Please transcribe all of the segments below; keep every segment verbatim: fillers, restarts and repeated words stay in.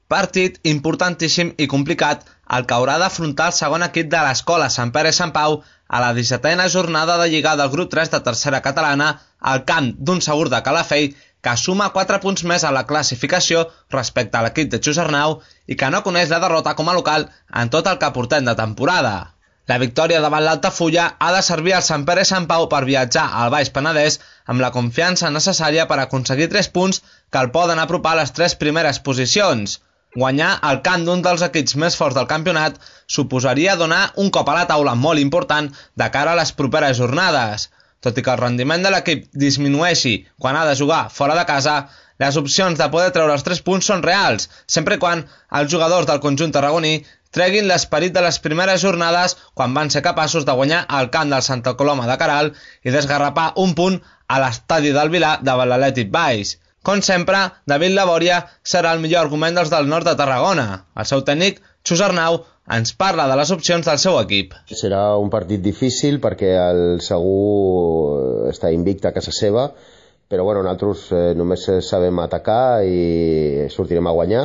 Partit importantíssim i complicat el que haurà d'afrontar el segon equip de l'Escola Sant Pere i Sant Pau a la dissetena jornada de Lliga del grup tres de tercera catalana al camp d'un Segur de Calafell que suma quatre punts més a la classificació respecte a l'equip de Xusarnau i que no coneix la derrota com a local en tot el que portem de temporada. La victòria davant l'Altafulla ha de servir al Sant Pere i Sant Pau per viatjar al Baix Penedès amb la confiança necessària per aconseguir tres punts que el poden apropar a les tres primeres posicions. Guanyar al camp d'un dels equips més forts del campionat suposaria donar un cop a la taula molt important de cara a les properes jornades. Tot i que el rendiment de l'equip disminueixi quan ha de jugar fora de casa, les opcions de poder treure els tres punts són reals, sempre i quan els jugadors del conjunt tarragoní treguin l'esperit de les primeres jornades quan van ser capaços de guanyar al camp del Santa Coloma de Queralt i desgarrapar un punt a l'estadi del Vilar davant l'Atlètic Baix. Com sempre, David Labòria serà el millor argument dels del nord de Tarragona. El seu tècnic, Xusarnau, ens parla de les opcions del seu equip. Serà un partit difícil perquè el Segur està invicte a casa seva, però bueno, nosaltres eh, només sabem atacar i sortirem a guanyar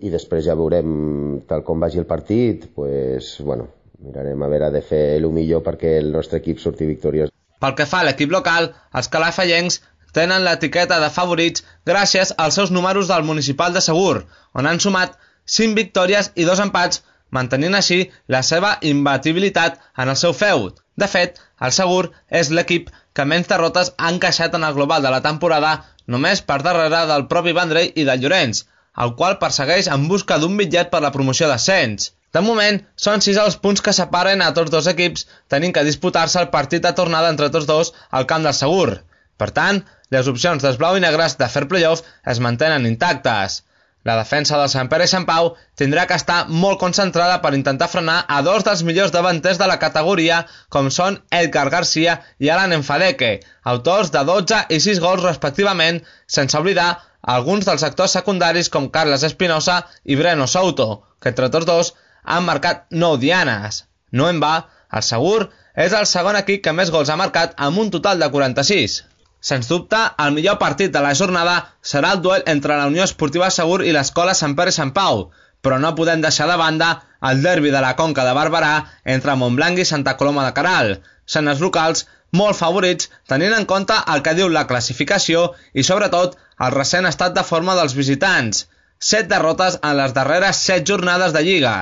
i després ja veurem tal com vagi el partit, pues, bueno, mirarem a veure de fer el millor perquè el nostre equip surti victoriós. Pel que fa a l'equip local, els calafellencs tenen l'etiqueta de favorits gràcies als seus números del Municipal de Segur, on han sumat cinc victòries i dos empats, mantenint així la seva imbatibilitat en el seu feud. De fet, el Segur és l'equip que menys derrotes ha encaixat en el global de la temporada, només per darrere del propi Vendrell i del Llorenç, el qual persegueix en busca d'un bitllet per la promoció d'ascens. De moment, són sis els punts que separen a tots dos equips, tenint que disputar-se el partit de tornada entre tots dos al camp del Segur. Per tant, les opcions dels blau i negres de fer playoff es mantenen intactes. La defensa del Sant Pere i Sant Pau tindrà que estar molt concentrada per intentar frenar a dos dels millors davanters de la categoria, com són Edgar Garcia i Alan Enfadeke, autors de dotze i sis gols respectivament, sense oblidar alguns dels actors secundaris com Carles Espinosa i Breno Souto, que entre tots dos han marcat nou dianes. No en va, el Segur és el segon equip que més gols ha marcat amb un total de quaranta-sis. Sens dubte, el millor partit de la jornada serà el duel entre la Unió Esportiva Segur i l'Escola Sant Pere i Sant Pau, però no podem deixar de banda el derbi de la Conca de Barberà entre Montblanc i Santa Coloma de Queralt. Són els locals molt favorits tenint en compte el que diu la classificació i sobretot el recent estat de forma dels visitants. Set derrotes en les darreres set jornades de Lliga.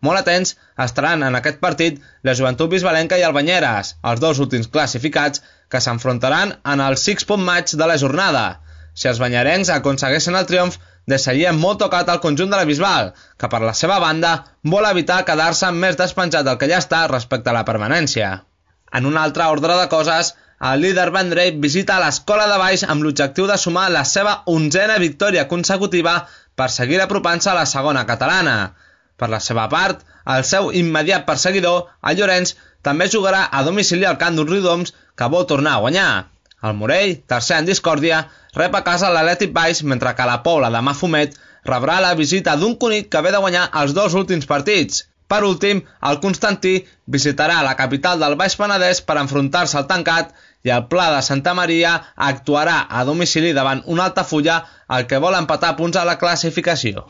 Molt atents estaran en aquest partit la Joventut Bisbalenca i el Banyeres, els dos últims classificats que s'enfrontaran en el six-punt match de la jornada. Si els banyerencs aconsegueixen el triomf, deixarien molt tocat el conjunt de la Bisbal, que per la seva banda vol evitar quedar-se més despenjat del que ja està respecte a la permanència. En un altre ordre de coses, el líder Vendrell visita l'Escola de Baix amb l'objectiu de sumar la seva onzena victòria consecutiva per seguir apropant-se a la segona catalana. Per la seva part, el seu immediat perseguidor, el Llorenç, també jugarà a domicili al camp d'un Riudoms que vol tornar a guanyar. El Morell, tercer en discòrdia, rep a casa l'Atlètic Baix, mentre que la Pobla de Mafumet rebrà la visita d'un Cunit que ve de guanyar els dos últims partits. Per últim, el Constantí visitarà la capital del Baix Penedès per enfrontar-se al Tancat i el Pla de Santa Maria actuarà a domicili davant un Altafulla, el que vol empatar punts a la classificació.